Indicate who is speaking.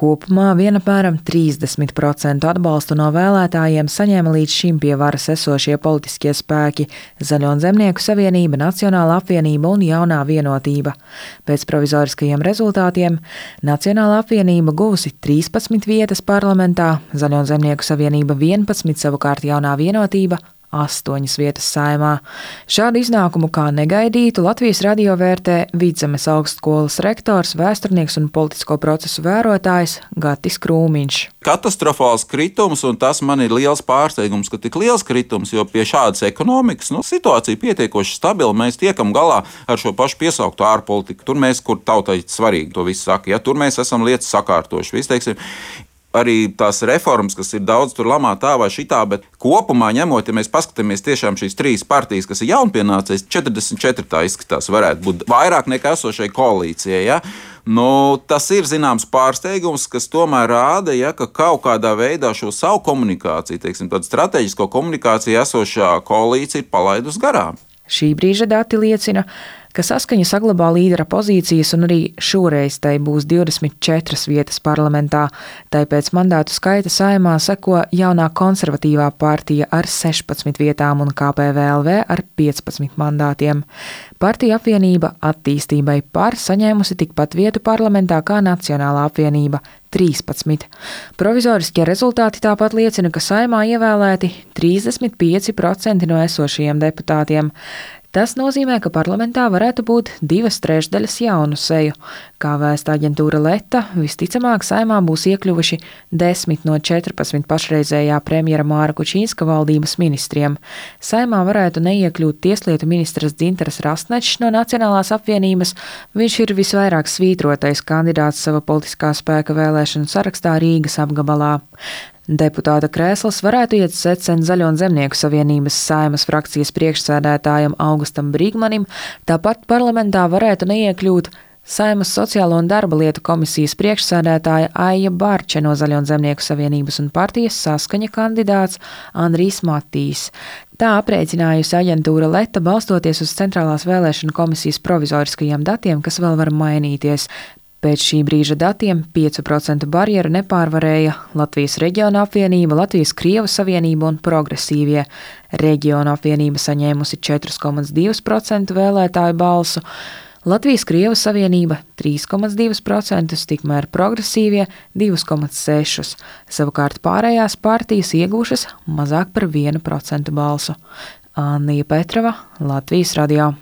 Speaker 1: Kopumā vien apmēram 30% atbalstu no vēlētājiem saņēma līdz šim pie varas esošie politiskie spēki – Zaļo un Zemnieku savienība, Nacionālā apvienība un Jaunā vienotība. Pēc provizoriskajiem rezultātiem Nacionālā apvienība guvusi 13 vietas parlamentā, Zaļo un Zemnieku savienība 11, savukārt Jaunā vienotība 8 vietas Saeimā. Šādu iznākumu kā negaidītu Latvijas radio vērtē Vidzemes augstskolas rektors, vēsturnieks un politisko procesu vērotājs Gatis Krūmiņš.
Speaker 2: Katastrofāls kritums, un tas man ir liels pārsteigums, ka tik liels kritums, jo pie šādas ekonomikas situācija pietiekoši stabila, mēs tiekam galā ar šo pašu piesauktu ārpolitiku. Tur mēs, kur tautai svarīgi to visu saka, tur mēs esam lietas sakārtoši. Viss, teiksim, arī tās reformas, kas ir daudz tur lamā tā vai šitā, bet kopumā ņemot, ja mēs paskatāmies tiešām šīs 3 partijas, kas ir jaunpienācējas, 44 tā izskatās varētu būt vairāk nekā esošai koalīcijai. Ja? Tas ir zināms pārsteigums, kas tomēr rāda, ja, ka kaut kādā veidā šo savu komunikāciju, teiksim, tādu strateģisko komunikāciju esošā koalīcija ir palaidus garām.
Speaker 1: Šī brīža dati liecina, ka Saskaņa saglabā līdera pozīcijas un arī šoreiz tai būs 24 vietas parlamentā. Tai pēc mandātu skaita Saeimā seko Jaunā konservatīvā partija ar 16 vietām un KPVLV ar 15 mandātiem. Partija apvienība Attīstībai par saņēmusi tikpat vietu parlamentā kā Nacionālā apvienība 13. Provizoriskie rezultāti tāpat liecina, ka Saeimā ievēlēti 35% no esošajiem deputātiem. Tas nozīmē, ka parlamentā varētu būt 2/3 jaunu seju. Kā vēsta aģentūra Leta, visticamāk Saeimā būs iekļuvuši 10 no 14 pašreizējā premjera Māra Kučīnska valdības ministriem. Saeimā varētu neiekļūt tieslietu ministrs Dzintaras Rastnečs no Nacionālās apvienības. Viņš ir visvairāk svītrotais kandidāts sava politiskā spēka vēlēšanu sarakstā Rīgas apgabalā. Deputāta krēsls varētu iet secen Zaļo un Zemnieku savienības Saeimas frakcijas priekšsēdētājam Augustam Brīgmanim, tāpat parlamentā varētu neiekļūt Saeimas sociālo un darba lietu komisijas priekšsēdētāja Aija Barče no Zaļo un Zemnieku savienības un partijas Saskaņa kandidāts Andrijs Matīs. Tā aprēķinājusi aģentūra Leta, balstoties uz Centrālās vēlēšanu komisijas provizoriskajiem datiem, kas vēl var mainīties. Pēc šī brīža datiem 5% barjeru nepārvarēja Latvijas Reģiona apvienība, Latvijas Krievu savienība un Progresīvie. Reģiona apvienība saņēmusi 4,2% vēlētāju balsu, Latvijas Krievu savienība 3,2%, tikmēr Progresīvie 2,6%. Savukārt pārējās partijas iegūšas mazāk par 1% balsu. Annija Petrava, Latvijas radio.